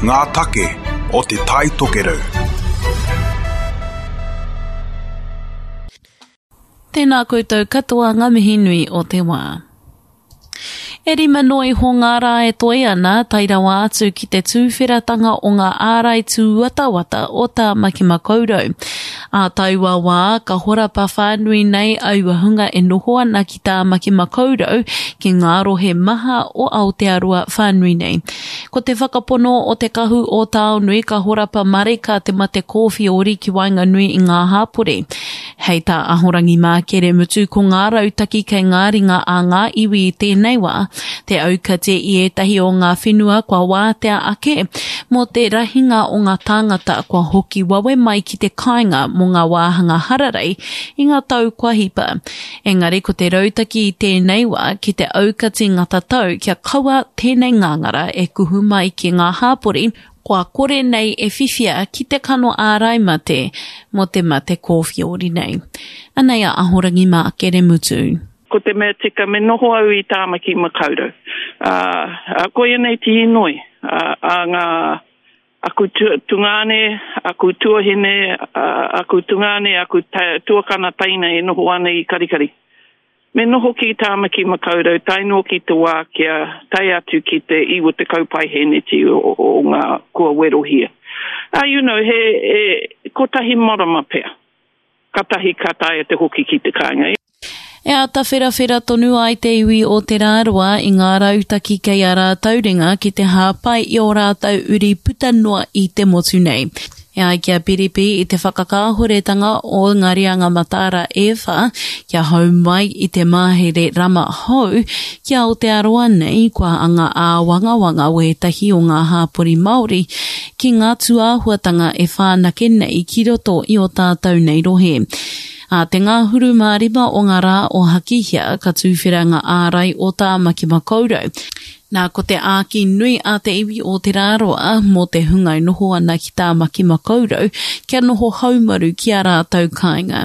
Ngā take o Te Tai Tokerau. Tēnā koutou katoa ngā mihi nui o te wā. E rima noa iho ngā rā e toe ana, tae rawa atu ki te tūwheratanga o ngā ārai tūwatawata o Tāmaki Makaurau. Ā taua wā, ka horapa whānui nei aua hunga e noho ana ki Tāmaki Makaurau ki ngā rohe maha o Aotearoa whānui nei. Ko te whakapono o Te Kahu o Taonui ka horapa marika te mate kōwhiori ki waenganui i ngā hāpori. Hei tā Ahorangi Mākere Mutu ko ngā rautaki kei ngā ringa a ngā iwi i tēnei wā, te aukati i ētahi o ngā whenua kua wātea ake mō te rahinga o ngā tāngata kua hoki wawe mai ki te kāinga mō ngā wāhanga hararei i ngā tau kua hipa. Engari ko te rautaki i tēnei wā ki te aukati ngā tatau kia kaua tēnei ngāngara e kuhu mai ki ngā hāpori kua kore nei e whiwhia ki te kano ārai mate mō te mate kōwhiori nei. Anei a Ahorangi Mākere Mutu. Ko te mea tika me noho au i Tāmaki Makaurau. Ā, koia nei te inoi a ngā, aku tungāne, aku tuahine, aku tungāne, aku tuakana teina e noho ana i Karikari. Me noho ki Tāmaki Makaurau tae noa ki te wā kia tae atu ki te 90 paihēneti o ngā kua werohia. Ā, you know, he, he kotahi marama pea, katahi ka taea te hoki ki te kāinga. E āta wherawhera tonu ai te iwi o Te Rāroa i ngā rautaki kei a rātou ringa ki te hāpai i ō rātou uri puta noa i te motu nei. E ai ki a Piripi i te whakakāhoretanga o ngā reanga mataara e whā kia hou mai i te mahere rama hou ki Aotearoa nei kua anga āwangawanga wētahi o ngā hāpori Māori ki ngā tūāhuatanga e whānake nei ki roto i ō tātou nei rohe. Ā te ngahuru mā rima o ngā rā o Hakihea ka tūwhera ngā ārai o Tāmaki Makaurau. Nā, ko te āki nui a te iwi o Te Rāroa mō te hunga e noho ana ki Tāmaki Makaurau kia noho haumaru ki ā rātou kāinga.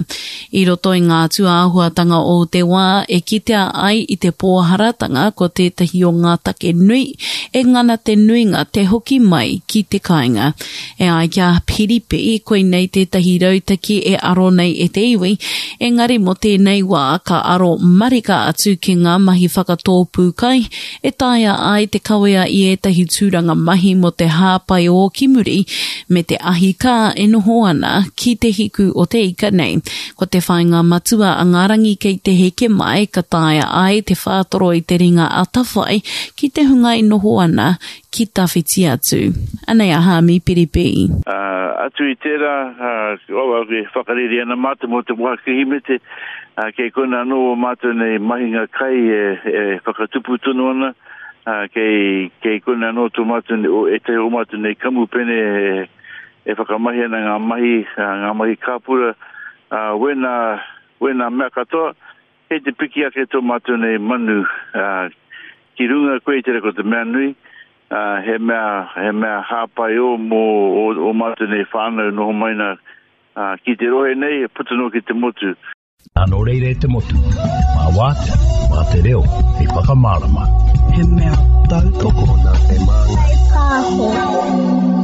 I roto i ngā tūāhuatanga o te wā e kitea ai i te pōharatanga ko tētahi o ngā take nui e ngana te nuinga te hoki mai ki te kāinga. E ai ki a Piripi, koinei tētahi rautaki e aro nei e te iwi, engari mō tēnei wā ka aro marika atu ki ngā mahi whakatōpū kai e taea ai te kawea i ētahi tūranga mahi mō te hāpai ō ki muri me te ahi kā e noho ana ki te hiku o te ika nei. Ko te whāinga matua a ngā rangi kei te heke mai ka taea ai te whātoro i te ringa atawhai ki te hunga e noho ana ki tawhiti atu. Anei a Hāmi Piripi. Ā, atu i tērā, ā, e whakareri ana mātou mō te wā Kirihimete, ā, kei konā anō ō mātou nei mahinga kai e, e whakatupu tonu ana, ā, kei, kei konā anō tō mātou nei, o, ētahi o mātou nei kamupene e, e whakamahi ana ngā mahi, ā, ngā mahi kāpura, ā, wēnā, wēnā mea katoa, Kei te piki ake tō mātou nei manu, ā, ki runga koe i te ko te mea nui, ā, he mea, he mea hāpai ō mō ō, ō mātou nei whānau noho mai nā, ā, ki te rohe nei, puta noa ki te motu. Nō reira e te motu, mā wātea, mā te reo hei whakamārama. He mea tautoko nā te Māngai Pāho.